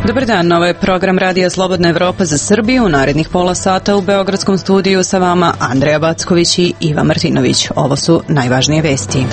Dobar dan, ovo je program Radija Slobodna Evropa za Srbiju. U narednih pola sata u Beogradskom studiju sa vama Andreja Backović i Iva Martinović. Ovo su najvažnije vesti.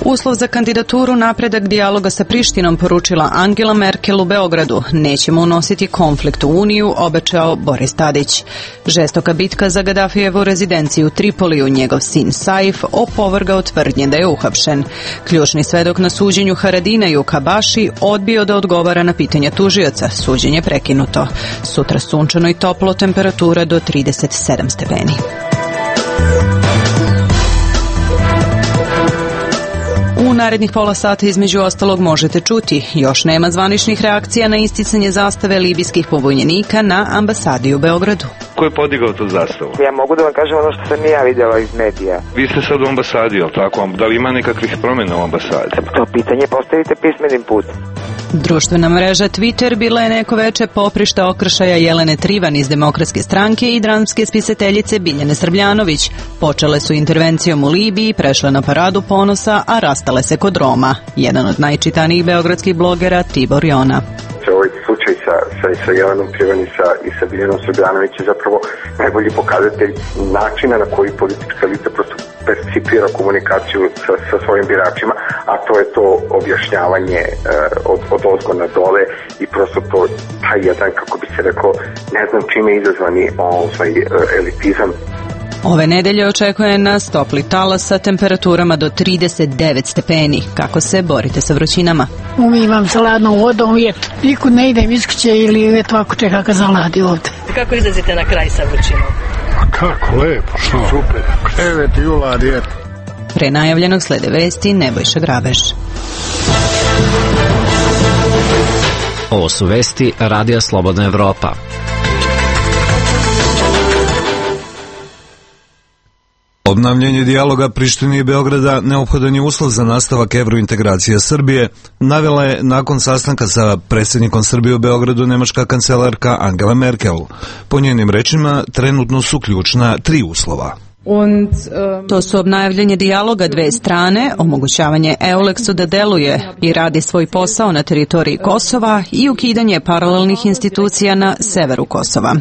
Uslov za kandidaturu napredak dijaloga sa Prištinom poručila Angela Merkel u Beogradu. Nećemo unositi konflikt u Uniju, obećao Boris Tadić. Žestoka bitka za Gadafijevu rezidenciju u Tripoliju, njegov sin Saif opovrgao tvrdnje da je uhapšen. Ključni svedok na suđenju Haradinaju Kabaši odbio da odgovara na pitanja tužioca. Suđenje prekinuto. Sutra sunčano i toplo, temperatura do 37 stepeni. U narednih pola sata između ostalog možete čuti: još nema zvaničnih reakcija na isticanje zastave libijskih pobunjenika na ambasadi u Beogradu. Ko je podigao tu zastavu? Ja mogu da vam kažem ono što sam ja vidjela iz medija. Vi ste sad u ambasadi, jel tako? Da li ima nekakvih promjena u ambasadi? To pitanje postavite pismenim putem. Društvena mreža Twitter bila je neko veče poprišta okršaja Jelene Trivan iz Demokratske stranke i dramske spisateljice Biljane Srbljanović. Počele su intervencijom u Libiji, prešle na paradu ponosa, a rastale se kod Roma. Jedan od najčitanijih beogradskih blogera, Tibor Jona. Ovaj slučaj sa Jelenom Trivan i sa Biljanom Srbljanović je zapravo najbolji pokazatelj načina na koji politička elita prosto percipira komunikaciju sa svojim biračima, a to je to objašnjavanje od ozgo na dole i prosto to taj jedan, kako bi se rekao, ne znam čime izazvani elitizam. Ove nedelje očekuje nas topli talas sa temperaturama do 39 stepeni. Kako se borite sa vrućinama? Umivam se ladnom vodom uvijek. Nikud ne idem iz kuće ili uvijek ovako čeka kad zaladi ovdje. Kako izlazite na kraj sa vrućinom? A kako, lepo, što? Super. Krevet i ulad, eto. Pre najavljenog slede vesti Nebojša Grabež. Ovo su vesti Radija Slobodna Evropa. Obnavljanje dijaloga Prištine i Beograda neophodan je uslov za nastavak evrointegracije Srbije, navela je nakon sastanka sa predsjednikom Srbije u Beogradu nemačka kancelarka Angela Merkel. Po njenim rečima, trenutno su ključna 3 uslova. To su obnavljanje dijaloga dve strane, omogućavanje EULEX-u da deluje i radi svoj posao na teritoriji Kosova i ukidanje paralelnih institucija na severu Kosova.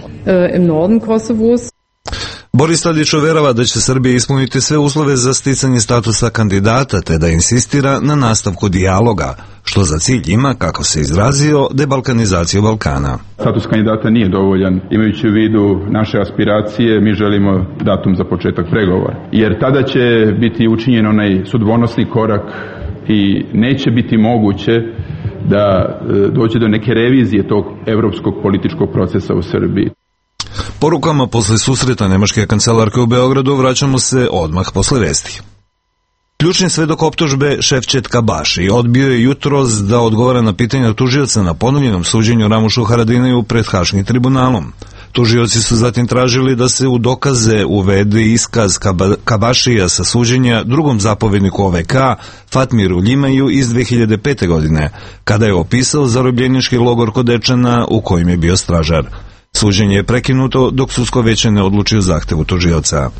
Boris Tadić uverava da će Srbija ispuniti sve uslove za sticanje statusa kandidata, te da insistira na nastavku dijaloga, što za cilj ima, kako se izrazio, debalkanizaciju Balkana. Status kandidata nije dovoljan. Imajući u vidu naše aspiracije, mi želimo datum za početak pregovora. Jer tada će biti učinjen onaj sudbonosni korak i neće biti moguće da dođe do neke revizije tog evropskog političkog procesa u Srbiji. Porukama posle susreta nemačke kancelarke u Beogradu vraćamo se odmah posle vesti. Ključni svedok optužbe Ševčet Kabaši odbio je jutros da odgovara na pitanja tužioca na ponovljenom suđenju Ramušu Haradinaju pred Haškim tribunalom. Tužioci su zatim tražili da se u dokaze uvede iskaz Kabašija sa suđenja drugom zapovjedniku OVK Fatmiru Ljimaju iz 2005. godine, kada je opisao zarobljenički logor kod Dečana u kojem je bio stražar. Suđenje je prekinuto dok sudsko veće ne odluči o zahtevu tužioca.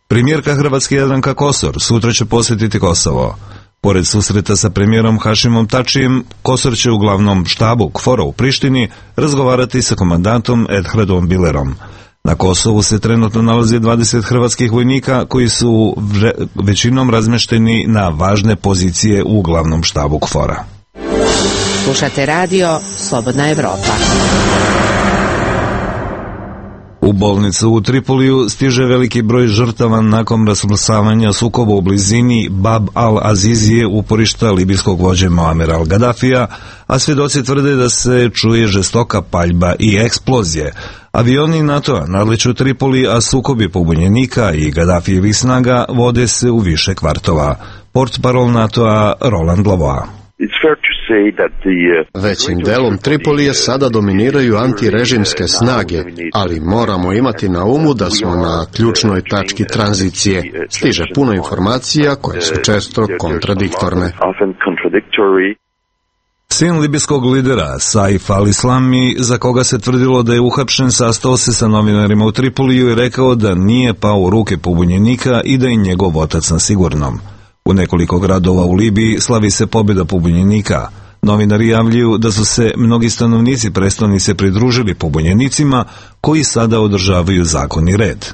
Premijerka Hrvatske Jadranka Kosor sutra će posjetiti Kosovo. Pored susreta sa premijerom Hašimom Tačijem, Kosor će u glavnom štabu KFOR-a u Prištini razgovarati sa komandantom Edhradom Bilerom. Na Kosovu se trenutno nalazi 20 hrvatskih vojnika koji su većinom razmešteni na važne pozicije u glavnom štabu KFOR-a. Slušate radio Slobodna Evropa. U bolnicu u Tripoliju stiže veliki broj žrtava nakon rasmrsavanja sukoba u blizini Bab al-Azizije, uporišta libijskog vođe Muamera al-Gadafija, a svjedoci tvrde da se čuje žestoka paljba i eksplozije. Avioni NATO-a nadliču Tripoli, a sukobi pobunjenika i Gadafijevih snaga vode se u više kvartova. Portparol NATO-a Roland Lavoie. Većim delom Tripolije sada dominiraju antirežimske snage, ali moramo imati na umu da smo na ključnoj tački tranzicije. Stiže puno informacija koje su često kontradiktorne. Sin libijskog lidera Saif al-Islami, za koga se tvrdilo da je uhapšen, sastao se sa novinarima u Tripoliju i rekao da nije pao u ruke pobunjenika i da je njegov otac na sigurnom. U nekoliko gradova u Libiji slavi se pobjeda pobunjenika. Novinari javljaju da su se mnogi stanovnici prestonice pridružili pobunjenicima koji sada održavaju zakon i red.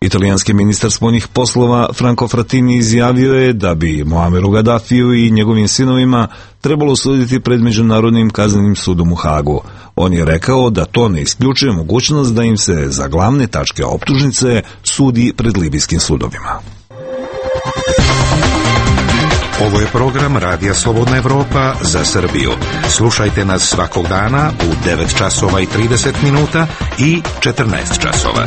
Italijanski ministar spoljnih poslova Franco Frattini izjavio je da bi Muammeru Gaddafiju i njegovim sinovima trebalo suditi pred Međunarodnim kaznenim sudom u Hagu. On je rekao da to ne isključuje mogućnost da im se za glavne tačke optužnice sudi pred libijskim sudovima. Ovo je program Radija Slobodna Evropa za Srbiju. Slušajte nas svakog dana u 9 časova i 30 minuta i 14 časova.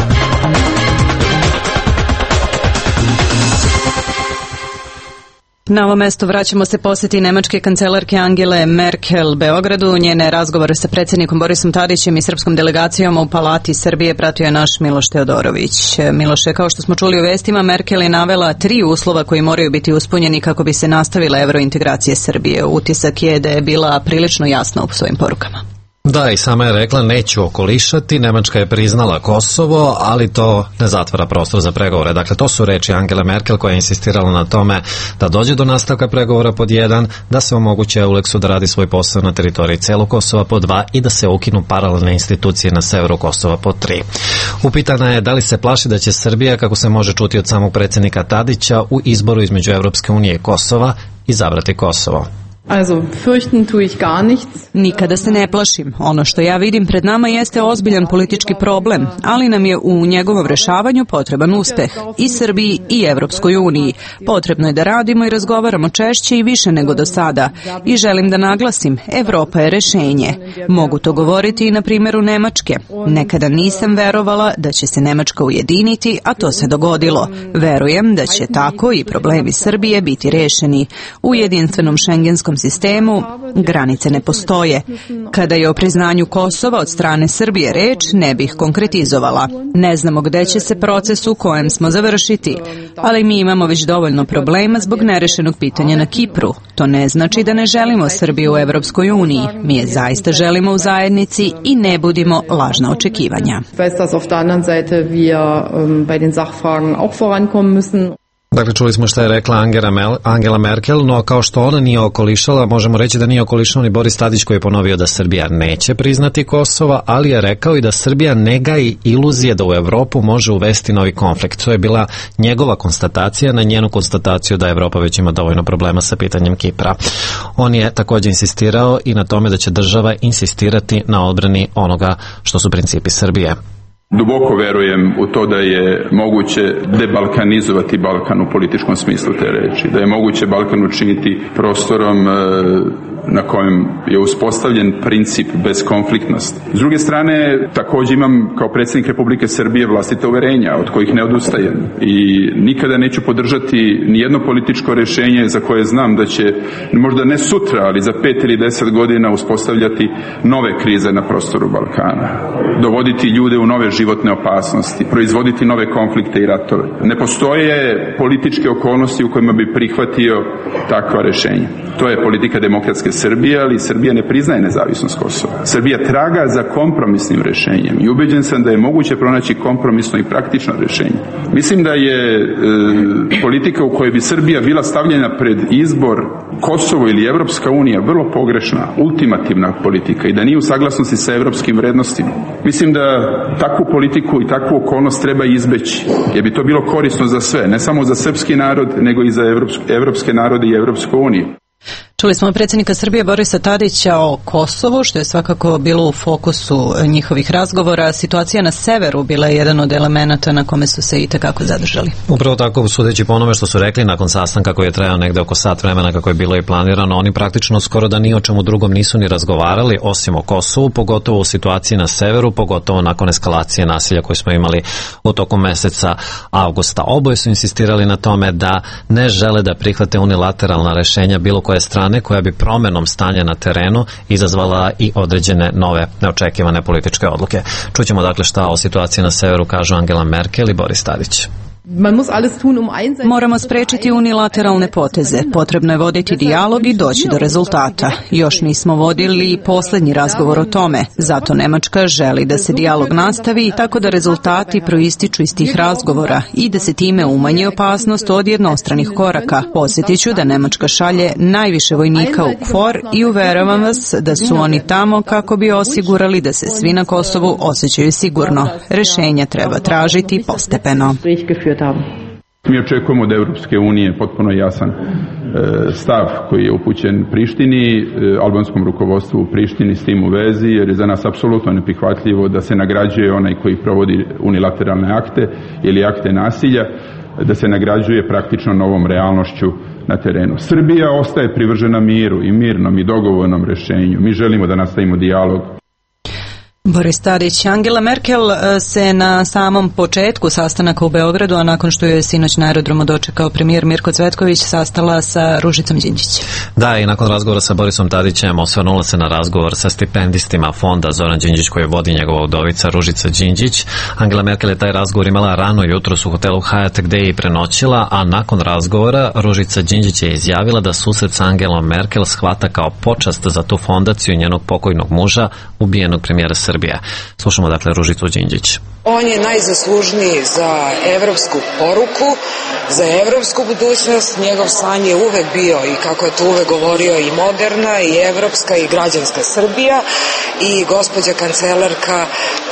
Na ovo mesto vraćamo se posjeti nemačke kancelarke Angele Merkel Beogradu. Njene razgovore sa predsjednikom Borisom Tadićem i srpskom delegacijom u Palati Srbije pratio je naš Miloš Teodorović. Miloše, kao što smo čuli u vestima, Merkel je navela 3 uslova koji moraju biti ispunjeni kako bi se nastavile evrointegracije Srbije. Utisak je da je bila prilično jasna u svojim porukama. Da, i sama je rekla neću okolišati, Nemačka je priznala Kosovo, ali to ne zatvara prostor za pregovore. Dakle, to su reči Angele Merkel koja je insistirala na tome da dođe do nastavka pregovora pod 1, da se omogući EULEX-u da radi svoj posao na teritoriji celog Kosova pod 2 i da se ukinu paralelne institucije na severu Kosova pod 3. Upitana je da li se plaši da će Srbija, kako se može čuti od samog predsjednika Tadića, u izboru između Evropske unije i Kosova izabrati Kosovo. Also, fürchten tue ich gar nichts. Nikada se ne plašim. Ono što ja vidim pred nama jeste ozbiljan politički problem, ali nam je u njegovom rešavanju potreban uspeh i Srbiji i Evropskoj uniji. Potrebno je da radimo i razgovaramo češće i više nego do sada. I želim da naglasim, Evropa je rešenje. Mogu to govoriti i na primjeru Nemačke. Nekada nisam verovala da će se Nemačka ujediniti, a to se dogodilo. Verujem da će tako i problemi Srbije biti rešeni. U jedinstvenom šengenskom sistemu granice ne postoje. Kada je o priznanju Kosova od strane Srbije reč, ne bih konkretizovala. Ne znamo gde će se proces u kojem smo završiti, ali mi imamo već dovoljno problema zbog nerešenog pitanja na Kipru. To ne znači da ne želimo Srbiju u Evropskoj uniji. Mi je zaista želimo u zajednici i ne budimo lažna očekivanja. Dakle, čuli smo što je rekla Angela Merkel, no kao što ona nije okolišala, možemo reći da nije okolišao ni Boris Tadić koji je ponovio da Srbija neće priznati Kosovo, ali je rekao i da Srbija ne gaji iluzije da u Evropu može uvesti novi konflikt. To je bila njegova konstatacija na njenu konstataciju da Evropa već ima dovoljno problema sa pitanjem Kipra. On je također insistirao i na tome da će država insistirati na odbrani onoga što su principi Srbije. Duboko verujem u to da je moguće debalkanizovati Balkan u političkom smislu te reči, da je moguće Balkan učiniti prostorom na kojem je uspostavljen princip bezkonfliktnosti. S druge strane, također imam kao predsjednik Republike Srbije vlastite uverenja od kojih ne odustajem i nikada neću podržati nijedno političko rješenje za koje znam da će možda ne sutra, ali za 5 ili 10 godina uspostavljati nove krize na prostoru Balkana, dovoditi ljude u nove životne opasnosti, proizvoditi nove konflikte i ratove. Ne postoje političke okolnosti u kojima bi prihvatio takva rješenja. To je politika demokratske Srbije, ali Srbija ne priznaje nezavisnost Kosova. Srbija traga za kompromisnim rješenjem i ubeđen sam da je moguće pronaći kompromisno i praktično rješenje. Mislim da je politika u kojoj bi Srbija bila stavljena pred izbor Kosovo ili Evropska unija vrlo pogrešna, ultimativna politika i da nije u saglasnosti sa evropskim vrednostima. Mislim da takvu politiku i takvu okolnost treba izbeći, jer bi to bilo korisno za sve, ne samo za srpski narod, nego i za evropske narode i Evropsku uniju. Čuli smo predsjednika Srbije Borisa Tadića o Kosovu, što je svakako bilo u fokusu njihovih razgovora. Situacija na severu bila je jedan od elemenata na kome su se i tekako zadržali. Upravo tako, sudeći po onome što su rekli nakon sastanka koji je trajao negde oko sat vremena kako je bilo i planirano, oni praktično skoro da ni o čemu drugom nisu ni razgovarali osim o Kosovu, pogotovo u situaciji na severu, pogotovo nakon eskalacije nasilja koju smo imali u toku meseca avgusta. Oboje su insistirali na tome da ne žele da prihvate unilateralna rešenja bilo koje strane koja bi promenom stanja na terenu izazvala i određene nove neočekivane političke odluke. Čućemo dakle šta o situaciji na severu kažu Angela Merkel i Boris Tadić. Moramo sprečiti unilateralne poteze. Potrebno je voditi dijalog i doći do rezultata. Još nismo vodili poslednji razgovor o tome. Zato Nemačka želi da se dijalog nastavi tako da rezultati proističu iz tih razgovora i da se time umanji opasnost od jednostranih koraka. Podsjetiću da Nemačka šalje najviše vojnika u KFOR i uveravam vas da su oni tamo kako bi osigurali da se svi na Kosovu osjećaju sigurno. Rešenja treba tražiti postepeno. Mi očekujemo od Evropske unije potpuno jasan stav koji je upućen Prištini, albanskom rukovodstvu u Prištini s tim u vezi, jer je za nas apsolutno neprihvatljivo da se nagrađuje onaj koji provodi unilateralne akte ili akte nasilja, da se nagrađuje praktično novom realnošću na terenu. Srbija ostaje privržena miru i mirnom i dogovornom rešenju. Mi želimo da nastavimo dijalog. Boris Tadić. Angela Merkel se na samom početku sastanaka u Beogradu, a nakon što je sinoć na aerodromu dočekao premijer Mirko Cvetković, sastala sa Ružicom Đinđić. Da, i nakon razgovora sa Borisom Tadićem osvrnula se na razgovor sa stipendistima fonda Zoran Đinđić koji vodi njegova udovica Ružica Đinđić. Angela Merkel je taj razgovor imala rano jutros u hotelu Hyatt gde je i prenoćila, a nakon razgovora Ružica Đinđić je izjavila da susret sa Angelom Merkel shvata kao počast za tu fondaciju njenog pokojnog muža, ubijenog premijera Srbije. Slušamo dakle Ružicu Đinđić. On je najzaslužniji za evropsku poruku, za evropsku budućnost. Njegov san je uvek bio, i kako je to uvek govorio, i moderna, i evropska, i građanska Srbija, i gospođa kancelarka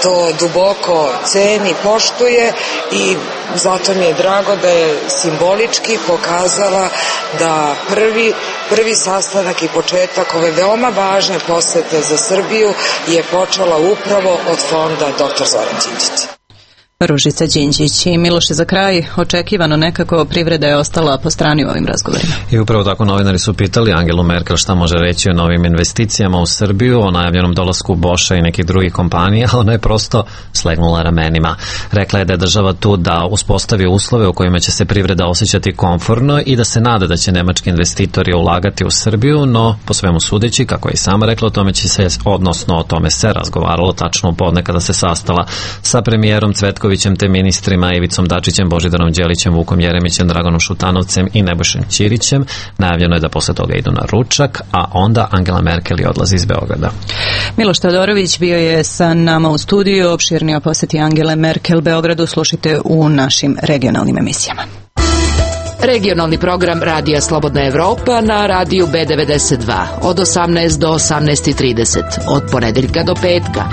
to duboko ceni, poštuje, i zato mi je drago da je simbolički pokazala da prvi sastanak i početak ove veoma važne posete za Srbiju je počela upravo od fonda dr. Zoran Đinđić. Ružica Đinđić. I Miloše, za kraj, očekivano nekako privreda je ostala po strani u ovim razgovorima. I upravo tako novinari su pitali Angelu Merkel šta može reći o novim investicijama u Srbiju, o najavljenom dolasku Boša i nekih drugih kompanija, a ona je prosto slegnula ramenima. Rekla je da je država tu da uspostavi uslove u kojima će se privreda osjećati komfortno i da se nada da će nemački investitori ulagati u Srbiju, no po svemu sudeći, kako je i sama rekla, o tome će se, odnosno o tome se razgovaralo tačno u podne kada se sastala sa premijerom Cvetkovićem te ministrima Ivicom Dačićem, Božidarom Đelićem, Vukom Jeremićem, Draganom Šutanovcem i Nebojšom Ćirićem. Najavljeno je da posle toga idu na ručak, a onda Angela Merkel odlazi iz Beograda. Miloš Teodorović bio je sa nama u studiju. Opširnije o poseti Angele Merkel Beogradu slušajte u našim regionalnim emisijama. Regionalni program Radija Slobodna Evropa na radiju B92 od 18 do 18:30 od ponedeljka do petka.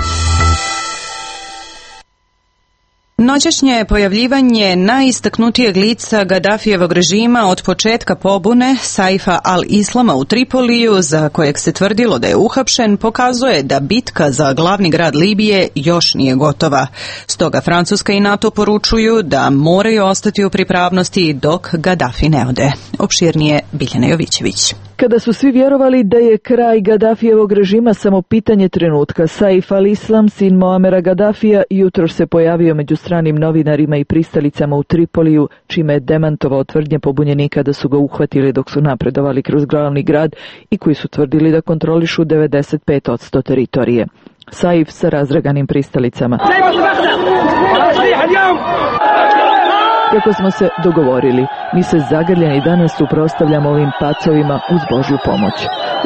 Noćašnje pojavljivanje najistaknutijeg lica Gadafijevog režima od početka pobune Saifa al-Islama u Tripoliju, za kojeg se tvrdilo da je uhapšen, pokazuje da bitka za glavni grad Libije još nije gotova. Stoga Francuska i NATO poručuju da moraju ostati u pripravnosti dok Gadafi ne ode. Opširnije Biljana Jovićević. Kada su svi vjerovali da je kraj Gadafijevog režima samo pitanje trenutka, Saif al-Islam, sin Moamera Gadafija, jutro se pojavio među stranim novinarima i pristalicama u Tripoliju, čime je demantovao tvrdnje pobunjenika da su ga uhvatili dok su napredovali kroz glavni grad i koji su tvrdili da kontrolišu 95% teritorije. Saif sa razdraganim pristalicama. Kako smo se dogovorili, mi se zagrljeni danas suprotstavljamo ovim pacovima uz Božju pomoć.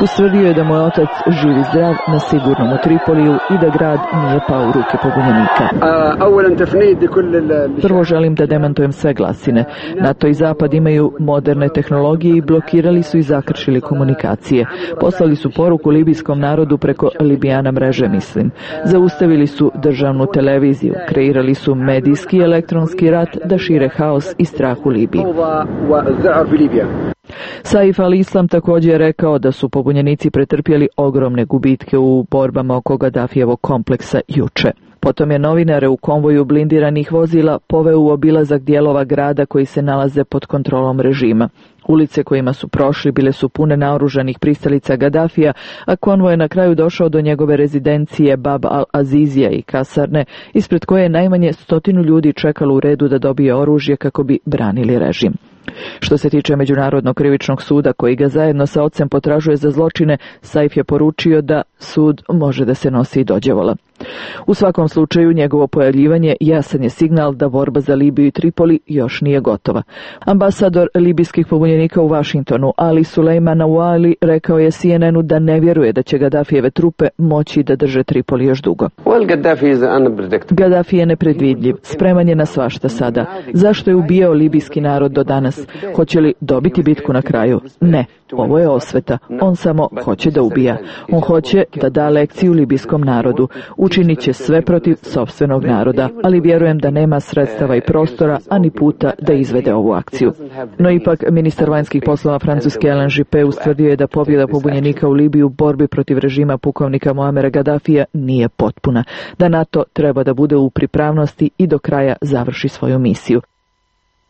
Ustvrdio je da moj otac živ i zdrav na sigurnom u Tripoliju i da grad nije pao u ruke pobunjenika. Prvo želim da demantujem sve glasine. NATO i Zapad imaju moderne tehnologije i blokirali su i zakršili komunikacije. Poslali su poruku libijskom narodu preko Libijana mreže, mislim. Zaustavili su državnu televiziju, kreirali su medijski i elektronski rat da šire haos i strah u Libiji. Saif al-Islam također je rekao da su pobunjenici pretrpjeli ogromne gubitke u borbama oko Gadafijevog kompleksa juče. Potom je novinare u konvoju blindiranih vozila poveo u obilazak dijelova grada koji se nalaze pod kontrolom režima. Ulice kojima su prošli bile su pune naoružanih pristalica Gadafija, a konvoj je na kraju došao do njegove rezidencije Bab al-Azizija i kasarne, ispred koje je najmanje 100 ljudi čekalo u redu da dobije oružje kako bi branili režim. Što se tiče Međunarodnog krivičnog suda koji ga zajedno sa ocem potražuje za zločine, Saif je poručio da sud može da se nosi i dođevola. U svakom slučaju, njegovo pojavljivanje jasan je signal da borba za Libiju i Tripoli još nije gotova. Ambasador libijskih pobunjenika u Vašingtonu, Ali Sulejman Awali, rekao je CNN-u da ne vjeruje da će Gaddafijeve trupe moći da drže Tripoli još dugo. Gaddafi je nepredvidljiv, spreman je na svašta sada. Zašto je ubijao libijski narod do danas? Hoće li dobiti bitku na kraju? Ne. Ovo je osveta. On samo hoće da ubija. On hoće da da lekciju libijskom narodu. Učinit će sve protiv sopstvenog naroda, ali vjerujem da nema sredstava i prostora, ani puta da izvede ovu akciju. No ipak, ministar vanjskih poslova Francuske Alain Juppé ustvrdio je da pobjeda pobunjenika u Libiji u borbi protiv režima pukovnika Muamera Gaddafija nije potpuna, da NATO treba da bude u pripravnosti i do kraja završi svoju misiju.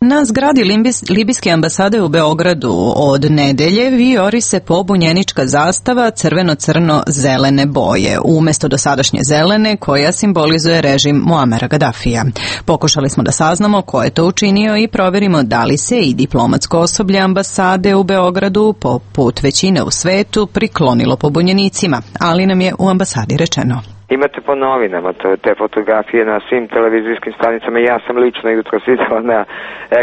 Na zgradi libijske ambasade u Beogradu od nedelje vijori se pobunjenička zastava crveno-crno-zelene boje, umjesto dosadašnje zelene koja simbolizuje režim Muamera Gaddafija. Pokušali smo da saznamo ko je to učinio i provjerimo da li se i diplomatsko osoblje ambasade u Beogradu, poput većine u svetu, priklonilo pobunjenicima, ali nam je u ambasadi rečeno. Imate po novinama te fotografije na svim televizijskim stanicama. Ja sam lično jutros videla na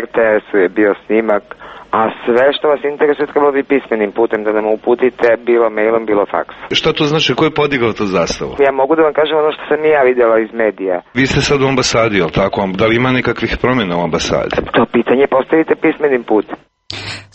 RTS-u je bio snimak, a sve što vas interesuje trebalo bi pismenim putem da nam uputite, bilo mailom, bilo faksom. Šta to znači? Ko je podigao tu zastavu? Ja mogu da vam kažem ono što sam i ja vidjela iz medija. Vi ste sad u ambasadi, jel tako? Da li ima nekakvih promjena u ambasadi? To pitanje postavite pismenim putem.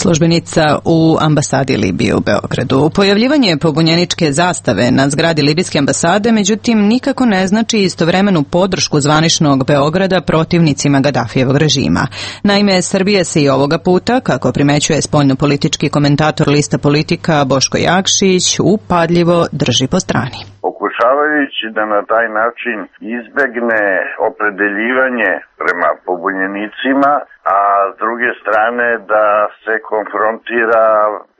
Službenica u ambasadi Libije u Beogradu. Pojavljivanje pobunjeničke zastave na zgradi libijske ambasade, međutim, nikako ne znači istovremenu podršku zvaničnog Beograda protivnicima Gaddafijevog režima. Naime, Srbija se i ovoga puta, kako primećuje spoljnopolitički komentator lista Politika Boško Jakšić, upadljivo drži po strani. Pokušavajući da na taj način izbegne opredeljivanje prema pobunjenicima, a s druge strane da se konfrontira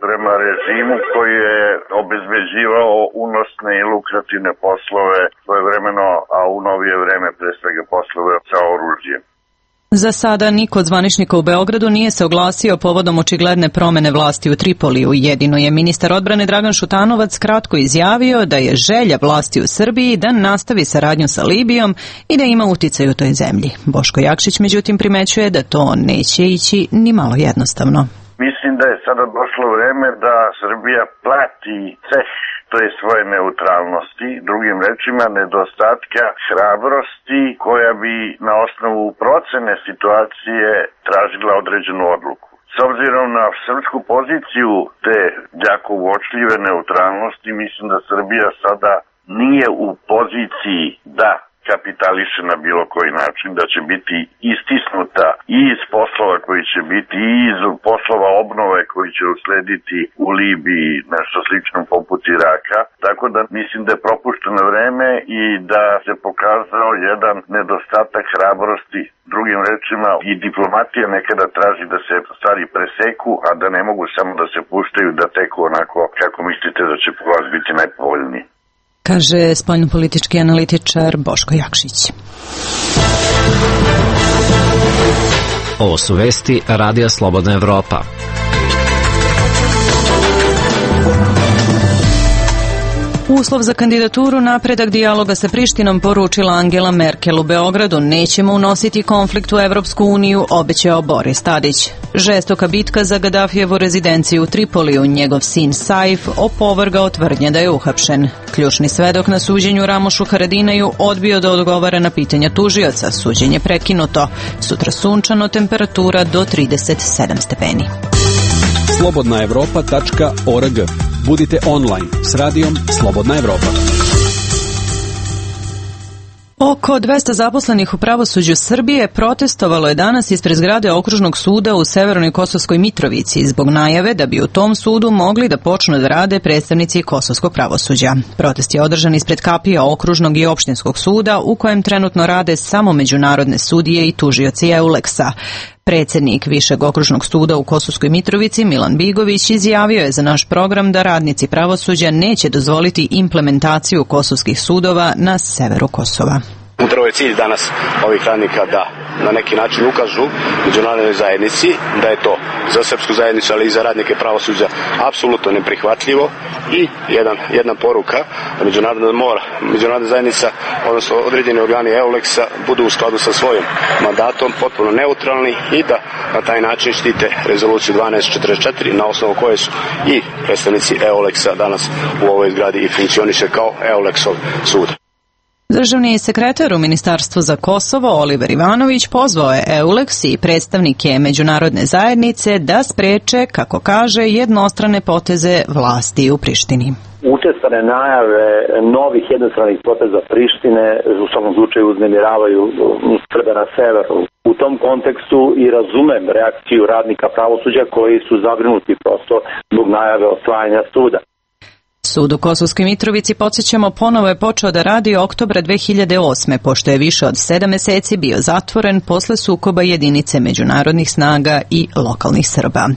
prema režimu koji je obezbeđivao unosne i lukrativne poslove svojevremeno, a u novije vreme pre svega poslove sa oružjem. Za sada niko od zvaničnika u Beogradu nije se oglasio povodom očigledne promene vlasti u Tripoliju. Jedino je ministar odbrane Dragan Šutanovac kratko izjavio da je želja vlasti u Srbiji da nastavi saradnju sa Libijom i da ima uticaj u toj zemlji. Boško Jakšić međutim primećuje da to neće ići ni malo jednostavno. Mislim da je sada došlo vreme da Srbija plati ceh to je svoje neutralnosti, drugim rečima nedostatka hrabrosti koja bi na osnovu procene situacije tražila određenu odluku. S obzirom na srpsku poziciju te jako uočljive neutralnosti, mislim da Srbija sada nije u poziciji da kapitališe na bilo koji način, da će biti istisnuta i iz poslova koji će biti i iz poslova obnove koji će uslediti u Libiji, nešto slično poput Iraka. Tako da mislim da je propušteno vreme i da se pokazao jedan nedostatak hrabrosti. Drugim rečima, i diplomatija nekada traži da se stvari preseku, a da ne mogu samo da se puštaju da teku onako kako mislite da će po vas biti najpovoljniji. Kaže spoljnopolitički analitičar Boško Jakšić. Ovo su vesti Radija Slobodna Evropa. Uslov za kandidaturu napredak dijaloga sa Prištinom poručila Angela Merkel u Beogradu. Nećemo unositi konflikt u Evropsku uniju, obećao Boris Tadić. Žestoka bitka za Gaddafijevu rezidenciju u Tripoliju. Njegov sin Saif opovrgao tvrdnje da je uhapšen. Ključni svedok na suđenju Ramošu Haradinaju odbio da odgovara na pitanja tužioca. Suđenje prekinuto. Sutra sunčano, temperatura do 37 stepeni. slobodnaevropa.org. Budite online s radijom Slobodna Evropa. Oko 200 zaposlenih u pravosuđu Srbije protestovalo je danas ispred zgrade Okružnog suda u Severnoj Kosovskoj Mitrovici zbog najave da bi u tom sudu mogli da počnu da rade predstavnici kosovskog pravosuđa. Protest je održan ispred kapija Okružnog i Opštinskog suda u kojem trenutno rade samo međunarodne sudije i tužioci EULEX-a. Predsjednik Višeg okružnog suda u Kosovskoj Mitrovici Milan Bigović izjavio je za naš program da radnici pravosuđa neće dozvoliti implementaciju kosovskih sudova na severu Kosova. Upravo je cilj danas ovih radnika da na neki način ukažu međunarodnoj zajednici da je to za srpsku zajednicu, ali i za radnike pravosuđa apsolutno neprihvatljivo i jedna poruka da međunarodna zajednica, odnosno određeni organi EULEX-a budu u skladu sa svojim mandatom, potpuno neutralni i da na taj način štite rezoluciju 1244 na osnovu koje su i predstavnici EULEX-a danas u ovoj zgradi i funkcioniše kao EULEX-ov sud. Državni sekretar u Ministarstvu za Kosovo Oliver Ivanović pozvao je EULEX i predstavnike međunarodne zajednice da spreče, kako kaže, jednostrane poteze vlasti u Prištini. Učestane najave novih jednostranih poteza Prištine u svakom slučaju uznemiravaju Srbe na severu. U tom kontekstu i razumem reakciju radnika pravosuđa koji su zabrinuti prosto zbog najave osvajanja suda. Sud u Kosovskoj Mitrovici, podsjećamo, ponovo je počeo da radi oktobra 2008. pošto je više od 7 meseci bio zatvoren posle sukoba jedinice međunarodnih snaga i lokalnih Srba.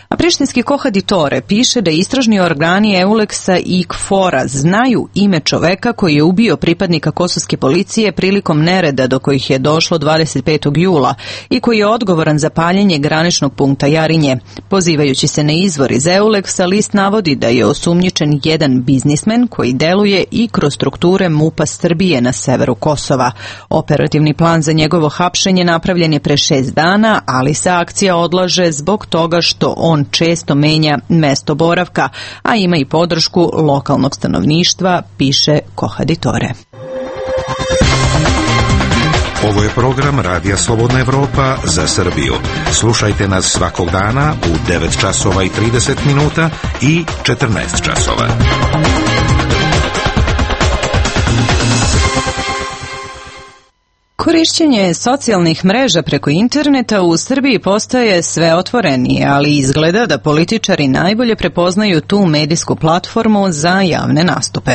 A prištinski Kohaditore piše da istražni organi EULEX-a i KFOR-a znaju ime čoveka koji je ubio pripadnika kosovske policije prilikom nereda do kojih je došlo 25. jula i koji je odgovoran za paljenje graničnog punkta Jarinje. Pozivajući se na izvor iz EULEX-a, list navodi da je osumnjičen jedan biznismen koji deluje i kroz strukture MUP-a Srbije na severu Kosova. Operativni plan za njegovo hapšenje napravljen je pre 6 dana, ali se akcija odlaže zbog toga što on često menja mesto boravka, a ima i podršku lokalnog stanovništva, piše Kohaditore. Ovo je program Radija Slobodna Evropa za Srbiju. Slušajte nas svakog dana u 9 časova i 30 minuta i 14 časova. Korišćenje socijalnih mreža preko interneta u Srbiji postaje sve otvorenije, ali izgleda da političari najbolje prepoznaju tu medijsku platformu za javne nastupe.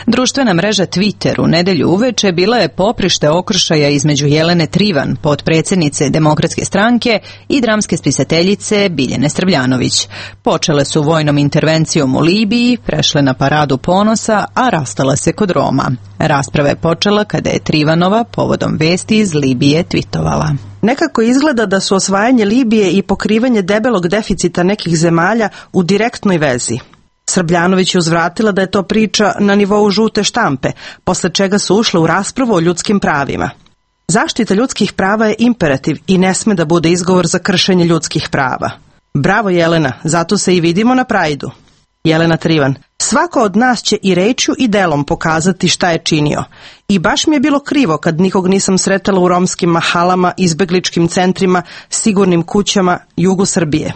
Društvena mreža Twitter u nedelju uveče bila je poprište okršaja između Jelene Trivan, potpredsjednice Demokratske stranke, i dramske spisateljice Biljane Srbljanović. Počele su vojnom intervencijom u Libiji, prešle na paradu ponosa, a rastale se kod Roma. Rasprava je počela kada je Trivanova povodom vesti iz Libije tvitovala. Nekako izgleda da su osvajanje Libije i pokrivanje debelog deficita nekih zemalja u direktnoj vezi. Srbljanović je uzvratila da je to priča na nivou žute štampe, posle čega su ušle u raspravu o ljudskim pravima. Zaštita ljudskih prava je imperativ i ne sme da bude izgovor za kršenje ljudskih prava. Bravo Jelena, zato se i vidimo na Prajdu. Jelena Trivan: svako od nas će i rečju i delom pokazati šta je činio. I baš mi je bilo krivo kad nikog nisam sretala u romskim mahalama, izbegličkim centrima, sigurnim kućama, jugu Srbije.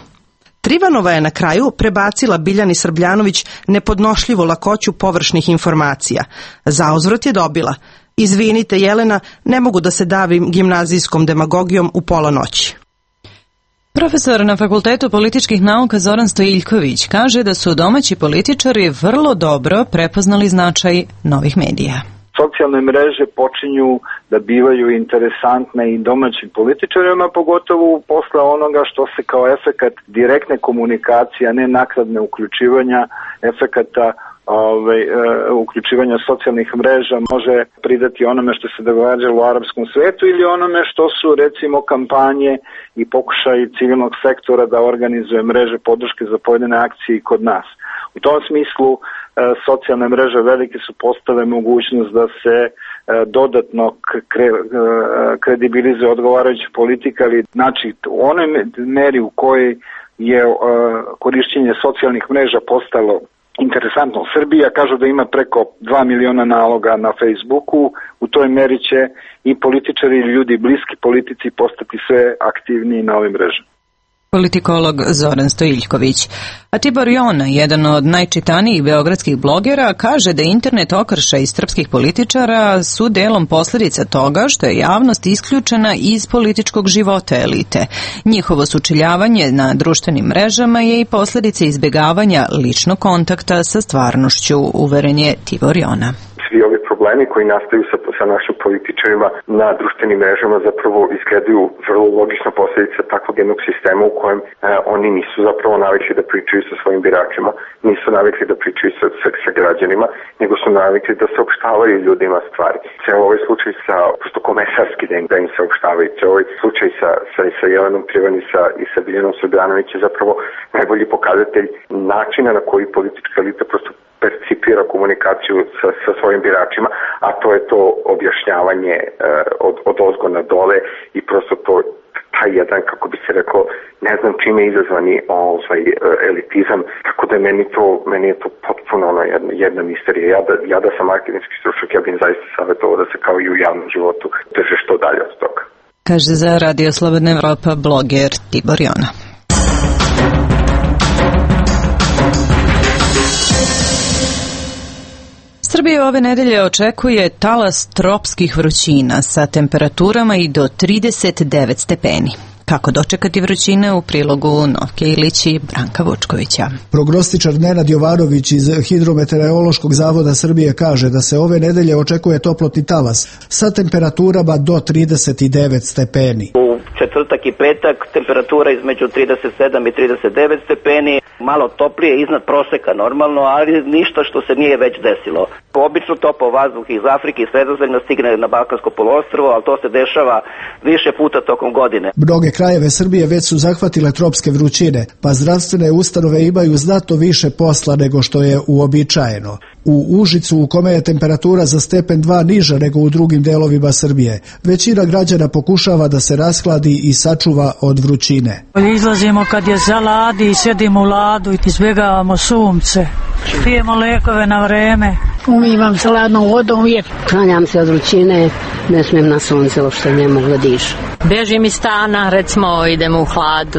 Trivanova je na kraju prebacila Biljani Srbljanović nepodnošljivu lakoću površnih informacija. Zauzvrat je dobila: izvinite Jelena, ne mogu da se davim gimnazijskom demagogijom u pola noći. Profesor na Fakultetu političkih nauka Zoran Stojiljković kaže da su domaći političari vrlo dobro prepoznali značaj novih medija. Socijalne mreže počinju da bivaju interesantne i domaćim političarima, pogotovo posle onoga što se kao efekat direktne komunikacije, a ne naknadne uključivanja, efekata uključivanja socijalnih mreža može pridati onome što se događalo u arapskom svetu ili onome što su recimo kampanje i pokušaj civilnog sektora da organizuje mreže podrške za pojedine akcije i kod nas. U tom smislu socijalne mreže velike su postale mogućnost da se dodatno kredibilizuje odgovarajuća politika, ali znači u onoj meri u kojoj je korišćenje socijalnih mreža postalo interesantno u Srbiji, a kažu da ima preko 2 miliona naloga na Facebooku, u toj meri će i političari i ljudi bliski politici postati sve aktivniji na ovim mrežama. Politikolog Zoran Stojiljković. A Tibor Jona, jedan od najčitanijih beogradskih blogera, kaže da internet okršaj srpskih političara su delom posljedica toga što je javnost isključena iz političkog života elite. Njihovo sučeljavanje na društvenim mrežama je i posljedica izbjegavanja ličnog kontakta sa stvarnošću, uveren je Tibor Jona. Svi ovi problemi problemi koji nastaju sa našim političarima na društvenim mrežama zapravo izgledaju vrlo logična posljedica takvog jednog sistema u kojem oni nisu zapravo navikli da pričaju sa svojim biračima, nisu navikli da pričaju sa građanima, nego su navikli da saopštavaju ljudima stvari. Ceo ovaj slučaj sa, prosto komesarski da im saopštavaju, ceo ovaj slučaj sa Jelenom Trivan i sa Biljanom Srbljanović je zapravo najbolji pokazatelj načina na koji politička elita prosto percipira komunikaciju sa svojim biračima, a to je to objašnjavanje od ozgo na dole i prosto to taj jedan, kako bi se rekao, ne znam čime izazvani elitizam, tako da meni je to potpuno jedna misterija. Ja da sam akademski stručnjak, ja bih zaista savjetovao da se kao i u javnom životu drže što dalje od toga. Kaže za Radio Slobodna Evropa bloger Tibor Jona. Srbiju ove nedelje očekuje talas tropskih vrućina sa temperaturama i do 39 stepeni. Kako dočekati vrućine u prilogu Novke Ilić i Branka Vučkovića. Prognostičar Nenad Jovanović iz Hidrometeorološkog zavoda Srbije kaže da se ove nedelje očekuje toplotni talas sa temperaturama do 39 stepeni. U četvrtak i petak temperatura između 37 i 39 stepeni, malo toplije iznad proseka normalno, ali ništa što se nije već desilo. Obično topao vazduh iz Afrike i Sredozemlja stigne na Balkansko poluostrvo, ali to se dešava više puta tokom godine. Mnoge krajeve Srbije već su zahvatile tropske vrućine, pa zdravstvene ustanove imaju znatno više posla nego što je uobičajeno. U Užicu, u kome je temperatura za stepen 2 niža nego u drugim delovima Srbije, većina građana pokušava da se rashladi i sačuva od vrućine. Izlazimo kad je za ladi i sjedimo u ladu i izbjegavamo sunce. Pijemo lekove na vreme. Umivam se ladnom vodom uvijek. Klanjam se od vrućine, ne smijem na sunce, uopšte ne mogu da dišem. Bežim iz stana, recimo idemo u hlad,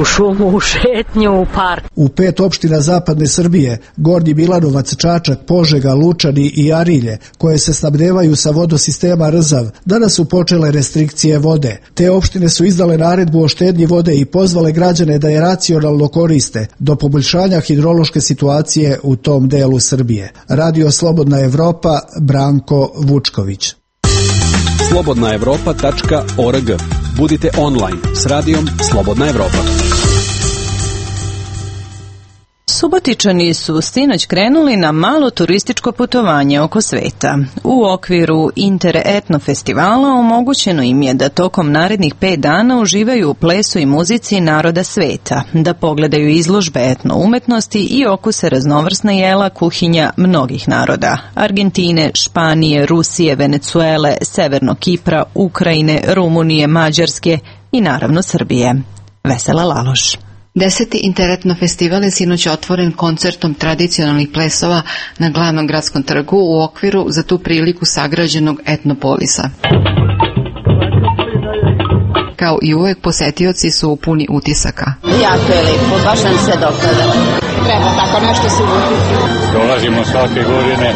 u šumu, u šetnju, u park. U 5 opština zapadne Srbije, Gornji Milanovac, Čačak, Požega, Lučani i Arilje, koje se snabdevaju sa vodosistema Rzav, danas su počele restrikcije vode. Te opštine su izdale naredbu o štednji vode i pozvale građane da je racionalno koriste do poboljšanja hidrološke situacije u tom delu Srbije. Radio Slobodna Evropa, Branko Vučković. slobodnaevropa.org. Budite online s radijom Slobodna Evropa. Subotičani su sinoć krenuli na malo turističko putovanje oko sveta. U okviru Interetno festivala omogućeno im je da tokom narednih 5 dana uživaju u plesu i muzici naroda sveta, da pogledaju izložbe etno umetnosti i okuse raznovrsna jela kuhinja mnogih naroda: Argentine, Španije, Rusije, Venecuele, Severnog Kipra, Ukrajine, Rumunije, Mađarske i naravno Srbije. Vesela Laloš. 10. Interetno festival je sinoć otvoren koncertom tradicionalnih plesova na glavnom gradskom trgu u okviru za tu priliku sagrađenog etnopolisa. Kao i uvek, posetioci su puni utisaka. Jako je lepo, baš nam se dopada. Treba tako nešto se uvutiti. Dolazimo svake godine,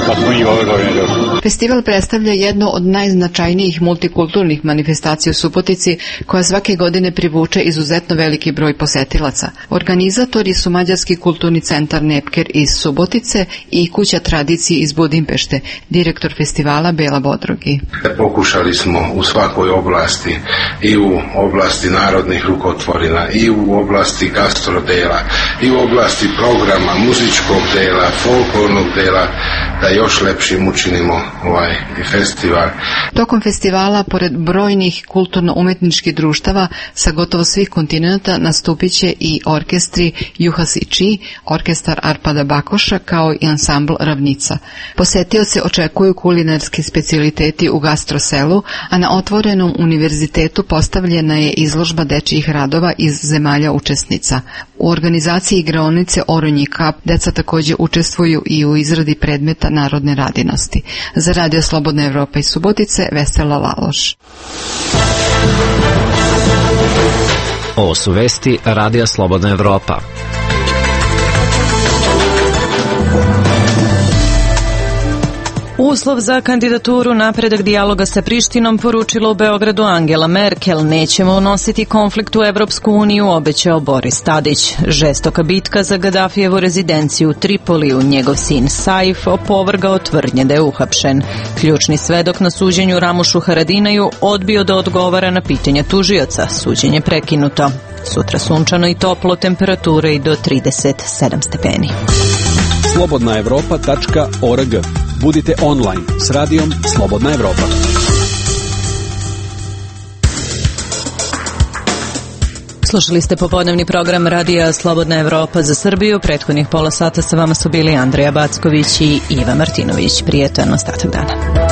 pa smo i ove godine došli. Festival predstavlja jednu od najznačajnijih multikulturnih manifestacija u Subotici, koja svake godine privuče izuzetno veliki broj posetilaca. Organizatori su Mađarski kulturni centar Nepker iz Subotice i Kuća tradicije iz Budimpešte, direktor festivala Bela Bodrogi. Pokušali smo u svakoj oblasti, i u oblasti narodnih rukotvorina, i u oblasti gastrodela, i u oblasti programa, muzičkog dela, folklornog dela, da još lepšim učinimo ovaj festival. Tokom festivala, pored brojnih kulturno-umetničkih društava sa gotovo svih kontinenta, nastupit će i orkestri Juhas i Či, orkestar Arpada Bakoša, kao i ansambl Ravnica. Posetioce očekuju kulinarski specijaliteti u gastroselu, a na otvorenom univerzitetu postavljena je izložba dečijih radova iz zemalja učesnica. U organizaciji igraonice Oronji kap deca također učestvuju i u izradi predmeta narodne radinosti. Za Radio Slobodna Evropa iz Subotice, Vesela Laloš. Ovo su vesti Radija Slobodna Evropa. Uslov za kandidaturu napredak dijaloga sa Prištinom poručila u Beogradu Angela Merkel. Nećemo unositi konflikt u Evropsku uniju, obećao Boris Tadić. Žestoka bitka za Gadafijevu rezidenciju u Tripoliju. Njegov sin Saif opovrgao tvrdnje da je uhapšen. Ključni svedok na suđenju Ramušu Haradinaju odbio da odgovara na pitanja tužioca. Suđenje prekinuto. Sutra sunčano i toplo, temperature i do 37 stepeni. slobodnaevropa.org. Budite online s radijom Slobodna Evropa. Slušali ste popodnevni program radija Slobodna Evropa za Srbiju. Prethodnih pola sata sa vama su bili Andreja Backović i Iva Martinović. Prijetan ostatak dana.